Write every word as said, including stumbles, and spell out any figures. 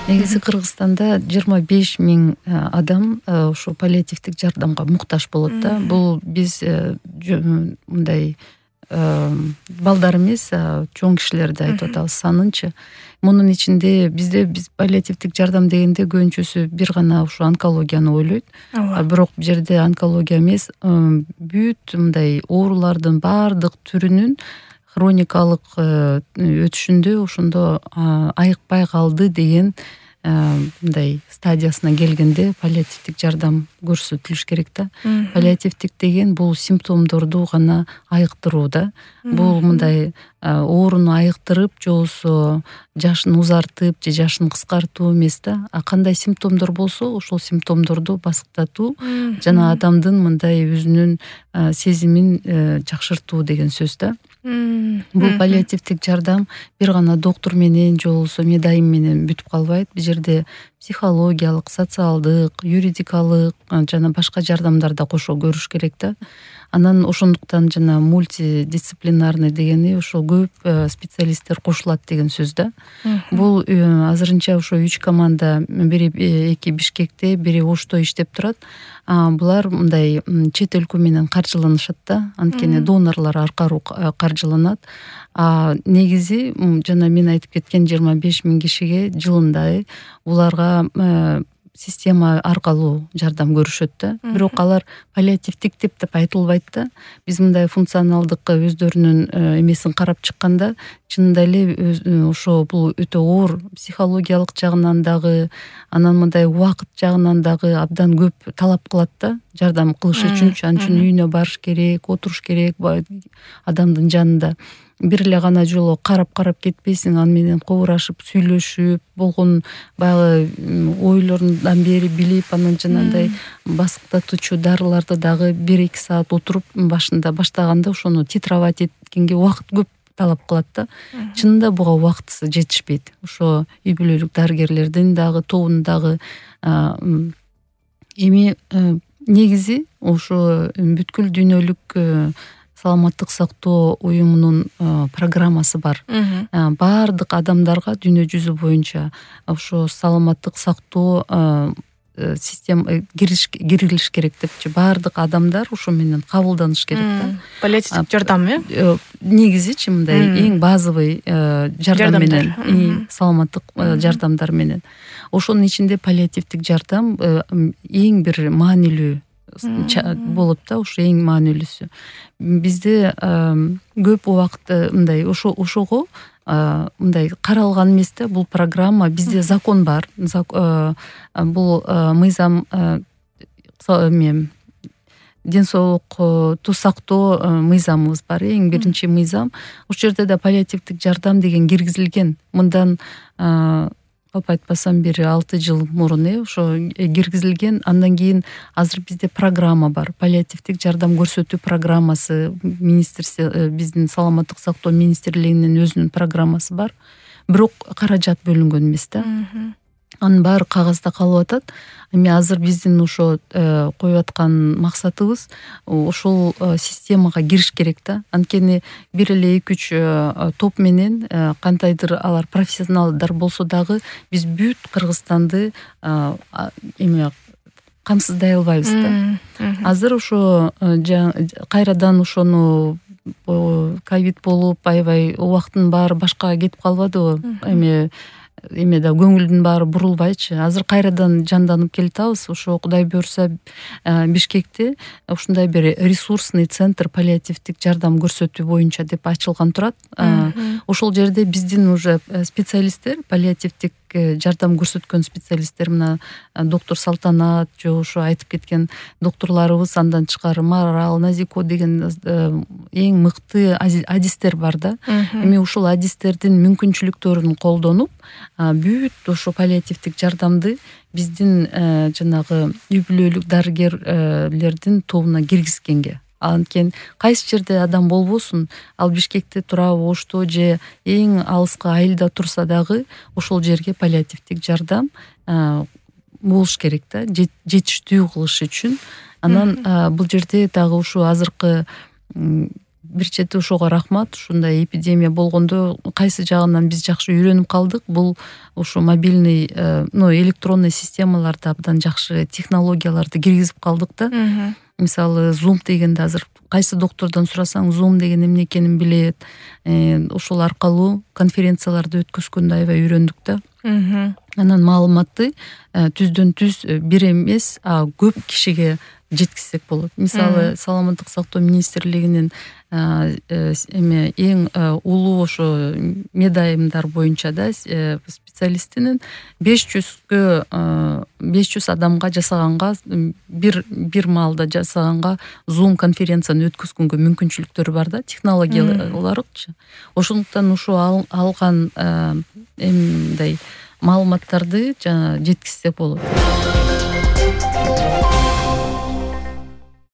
Негизи Кыргызстанда жыйырма беш миң адам ошо паллиативдик жардамга муктаж болот да. Бул биз мындай балдар эмес, чоң кишилерди айтып атабыз санынчы. Мунун ичинде бизде биз паллиативдик жардам дегенде көбүнчөсү бир гана ушу онкологияны ойлойт. Бирок бул жерде онкология эмес, бүт мындай оорулардын баардык түрүнүн хроникалык өтүшүндө ошондо айыкпай калды деген мындай стадиясына келгенде паллиативдик жардам көрсөтүлүш керек да. Паллиативдик деген бул симптомдорду гана айыктыруу да. Бул мындай ооруну айыктырып, же болбосо жашын узартып, же жашын кыскартуу эмес да. А кандай симптомдор болсо, ошол симптомдорду басыктатуу жана адамдын мындай өзүнүн сезимин жакшыртуу деген сөз да. Бул паллиативдик жардам бир гана доктур менен же болбосо медайым менен бүтүп калбайт. Бул жерде психологиялык, социалдык, юридикалык жана башка жардамдар да кошо көрүш керек да. Анан ошондуктан жана мультидисциплинарный дегени ошо көп специалисттер кошулат деген сөз да. Бул азырынча ошо үч команда, бири эки Бишкекте, бири Ошто иштеп турат. Булар мындай чет өлкө менен каржыланышат да. Анткени донорлор аркылуу каржыланат. А негизи жана мен айтып кеткен жыйырма беш миң кишиге жылында буларга система аркылуу жардам көрүшөт да. Бирок алар паллиативдик деп айтылбайт да. Биз мындай функционалдык өздөрүнүн эмесин карап чыкканда, чынында эле ошо бул өтө оор психологиялык жагынан дагы, анан мындай убакыт жагынан дагы абдан көп талап кылат да. Жардам кылыш үчүн анын үчүн үйүнө барыш керек, отуруш керек адамдын жанында. Бир эле гана жолу карап-карап кетпейсиң, аны менен кобурашып, сүйлөшүп, болгон баягы ойлорундан бери билип, анан жанагындай басыктатуучу дарыларды дагы бир эки саат отуруп башында баштаганда ошону титровать эткенге убакыт көп талап кылат да. Чынында буга убакыт жетишпейт. Ошо үй бүлөлүк дарыгерлердин дагы тобунун дагы эми негизи ошо бүткүл дүйнөлүк саламаттык сактоо уюмунун программасы бар. Баардык адамдарга дүйнө жүзү боюнча ошо саламаттык сактоо система кирилиш керек депчи. Баардык адамдар ошо менен кабылданыш керек да. Паллиативдик жардам э? Негизичи мындай эң базовый жардам менен, саламаттык жардамдар менен. Ошонун ичинде паллиативдик жардам эң бир маанилүү болот да, ошо эң маанилүүсү. Бизде көп убакыт мындай ошо ошого мындай каралган эмес да. Бул программа, бизде закон бар. Бул мыйзам ден соолукту сактоо мыйзамыбыз бар. Эң биринчи мыйзам. Ошол жерде да паллиативдик жардам деген киргизилген. Мындан калп айтпасам бир алты жыл мурун э ошо киргизилген. Андан кийин азыр бизде программа бар. Паллиативдик жардам көрсөтүү программасы, министрство, биздин саламаттык сактоо министрлигинин өзүнүн программасы бар. Бирок каражат бөлүнгөн эмес да. Анын баары кагазда калып атат. Эми азыр биздин ошо коюп аткан максатыбыз ошол системага кириш керек да. Анткени бир эле эки үч топ менен кантайдыр алар профессионалдар болсо дагы биз бүт Кыргызстанды эме камсыздай албайбыз да. Азыр ошо кайрадан ошону ковид болуп, аябай убакыттын баары башкага кетип калбадыбы? Эми эме да көңүлдүн баары бурулбайчы. Азыр кайрадан жанданып келатабыз. Ошо Кудай буйрса Бишкекте ушундай бир ресурсный центр паллиативдик жардам көрсөтүү боюнча деп ачылган турат. Ошол жерде биздин уже специалисттер, паллиативдик жардам көрсөткөн специалисттер, мына доктор Салтанат, же ошо айтып кеткен докторлорубуз, андан тышкары Марал, Назико деген эң мыкты адистер бар да. Эми ушул адистердин мүмкүнчүлүктөрүн колдонуп, бүт ошо паллиативдик жардамды биздин жанагы үй бүлөлүк дарыгерлердин тобуна киргизгенге. Анткени кайсы жерде адам болбосун, ал Бишкекте турабы, Ошто же эң алыска айылда турса дагы ошол жерге паллиативдик жардам болуш керек да, жетиштүү кылыш үчүн. Анан бул жерде дагы ушу азыркы бир чети ошого рахмат. Ушундай эпидемия болгондо кайсы жагынан биз жакшы үйрөнүп калдык. Бул ушу мобильный, ну, электронный системаларды абдан жакшы технологияларды киргизип калдык да. Мисалы, Zoom дегенде азыр кайсы доктордон сурасаң, Zoom деген эмне экенин билет. Ошол аркылуу конференцияларды өткөзгөндө аябай үйрөндүк да. Анан маалыматты түздөн түз бир эмес, а көп кишиге жеткизсек болот. Мисалы, саламаттык сактоо министрлигинин эме эң улуу ошо медайымдар боюнча да специалистинин беш жүзгө беш жүз адамга жасаганга бир бир маалда жасаганга Zoom конференцияны өткөзгөнгө мүмкүнчүлүктөрү бар да, технология olarakчы. Ошондуктан ушу алган эмдей маалыматтарды жана жеткизсек болот.